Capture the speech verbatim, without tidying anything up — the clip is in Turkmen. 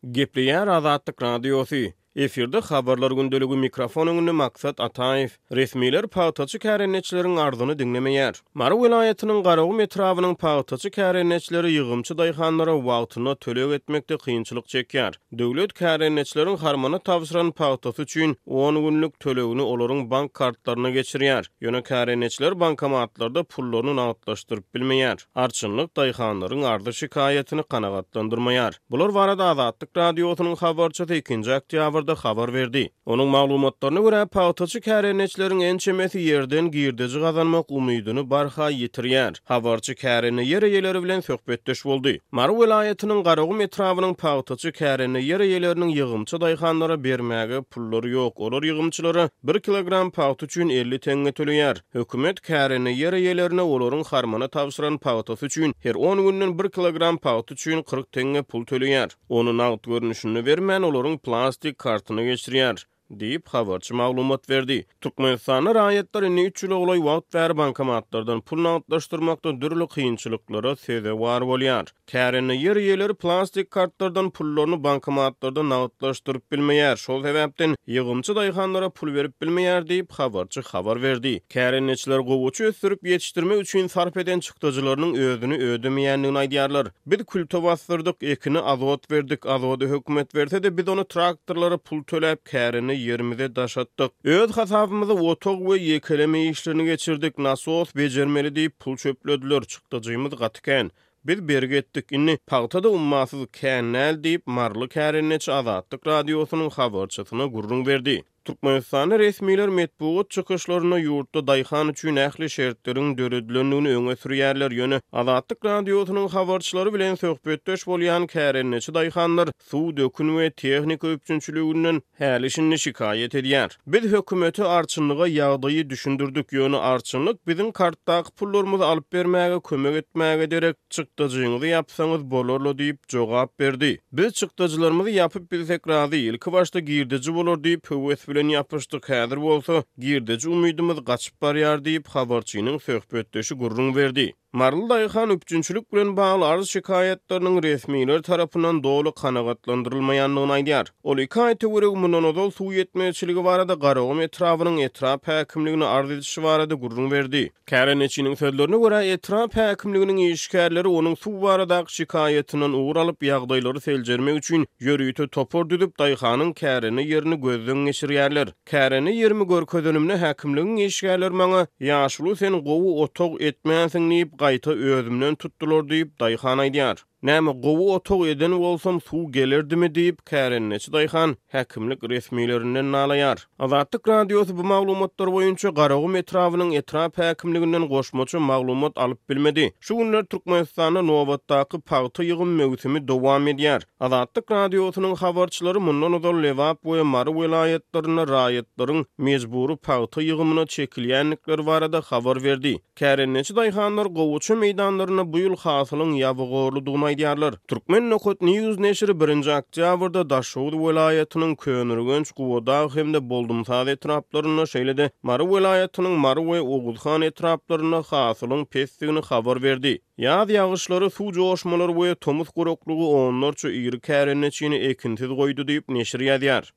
Gepleýär Azatlyk Radiosy. Efirde Habarlar gündeligi, mikrofon öňünde Maksat Ataýew. Resmiler pagtaçy kärendeçileriň arzyny diňlemeýär. Mary welaýatynyň Garagum etrabynyň pagtaçy kärendeçileri ýygymçy daýhanlara wagtynda töleg etmekde kynçylyk çekýär. Döwlet kärendeçileriň harmana tabşyran pagtasy üçin on günlük tölegini olaryň bank kartlaryna geçirýär. Ýöne kärendeçiler bankomatlarda pullaryny nagtlaşdyryp bilmeýär. Arçynlyk daýhanlaryň arzy-şikaýatyny kanagatlandyrmaýar. Bular barada Azatlyk Radiosynyň habarçysy ikinji oktýabrda habar berdi. Onuň maglumatlaryna görä, pagtaçy kärendeçileriň ençemesi ýerden girdeji gazanmak umydyny barha ýitirýär. Habarçy kärende ýer eýeleri bilen söhbetdeş boldy. Mary welaýatynyň Garagum etrabynyň pagtaçy kärende ýer eýeleriniň ýygymçy daýhanlara bermäge pullary ýok. Olar ýygymçylara bir kilogram pagta üçin elli teňňe töleýär. Hökümet kärende ýer eýelerine olaryň harmana tabşyran pagtasy üçin her on günden bir kilogram pagta üçin kyrk teňňe pul töleýär. Ony nagt görnüşinde bermän, olaryň plastik kartyna geçirýär, diýip, habarçy maglumat berdi. Türkmenistanda raýatlar indi üç ýyla golaý wagt bäri bankomatlardan pul nagtlaşdyrmakda dürli kynçylyklara sezewar bolýar. Kärende ýer eýeleri plastik kartlardan pullaryny bankomatlarda nagtlaşdyryp bilmeýär. Şol sebäpden ýygymçy daýhanlara pul berip bilmeýär diýip, habarçy habar berdi. Kärendeçiler gowaça ösdürip ýetişdirmek üçin sarp eden çykdajylarynyň özüni ödemeýändigini aýdýarlar. Biz külte bastyrdyk, ekini azot berdik, azody hökümet berse-de biz ony traktorlara pul töläp kärende ýerimize daşatdyk. Öz hasabymyzy otag we ýekeleme işlerini geçirdik, nasos bejermeli diýip pul çöplediler, çykdajymyz gaty kän. Biz bergi etdik, indi pagta-da ummasyz kän däl diýip, Maryly kärendeçi Azatlyk Radiosynyň habarçysyna gürrüň berdi. Türkmenistanda resmiler metbugat çykyşlarynda ýurtda daýhan üçin ähli şertleriň döredilendigini öňe sürýärler, ýöne Azatlyk Radiosynyň habarçylary bilen söhbetdeş bolýan kärendeçi daýhanlar suw, dökün we tehnika üpjünçiliginden häli-şindi şikaýat edýär. Biz hökümete arçynlyga ýagdaýy düşündirdik, ýöne arçynlyk biziň kartdaky pullarymyzy alyp bermäge kömek etmäge derek çykdajyňyzy ýapsaňyz bolarla diýip jogap berdi. Biz çykdajylarymyzy ýapyp bilsek razy, ilki başda girdeji bolar diýip höwes bilen ýapyşdyk, häzir bolsa girdeji umydymyz gaçyp barýar diýip habarçynyň söhbetdeşi gürrüň berdi. Maryly daýhan üpjünçilik bilen bagly arz şikaýatlarynyň resmiler tarapyndan doly kanagatlandyrylmaýandygyny aýdýar. Ol iki aý töweregi mundan ozal suw ýetmezçiligi barada Garagum etrabynyň etrap häkimligine arz edişi barada gürrüň berdi. Kärendeçiniň sözlerine görä, etrap häkimliginiň işgärleri onuň suw baradaky şikaýatyndan ugur alyp ýagdaýlary seljermek üçin ýörite topar düzüp daýhanyň kärende ýerini gözden geçirýärler. Kärende ýerimi görkezenimde häkimligiň işgärleri maňa ýaşuly sen gowy otag etmänsiň diýip gaýta özümden tutdular diýip daýhan aýdýar. Näme gowy otag eden bolsam suw gelerdimi diýip kärendeçi daýhan häkimlik resmilerinden nalaýar. Azatlyk Radiosy bu maglumatlar boýunça Garagum etrabynyň etrap häkimliginden goşmaça maglumat alyp bilmedi. Şu günler Türkmenistanda nobatdaky pagta ýygym möwsümi dowam edýär. Azatlyk Radiosynyň habarçylary mundan ozal Lebap we Mary welaýatlarynda raýatlaryň mejbury pagta ýygymyna çekilýändikleri barada habar berdi. Kärendeçi daýhanlar gowaça meýdanlarynda bu ýyl hasylyň ýabygorludygyny aýdýarlar. Türkmen Nokat News neşiri birinji oktýabrda Daşoguz welaýatynyň Köneürgenç, Gubadag hem-de Boldumsaz etraplarynda, şeýle-de Mary welaýatynyň Mary we Oguzhan etraplarynda hasylyň pesdigini habar berdi. Ýaz ýagyşlary, suw joşmalary we tomus guraklygy onlarça iri kärendeçini ekinsiz goýdy diýip neşir ýazýar.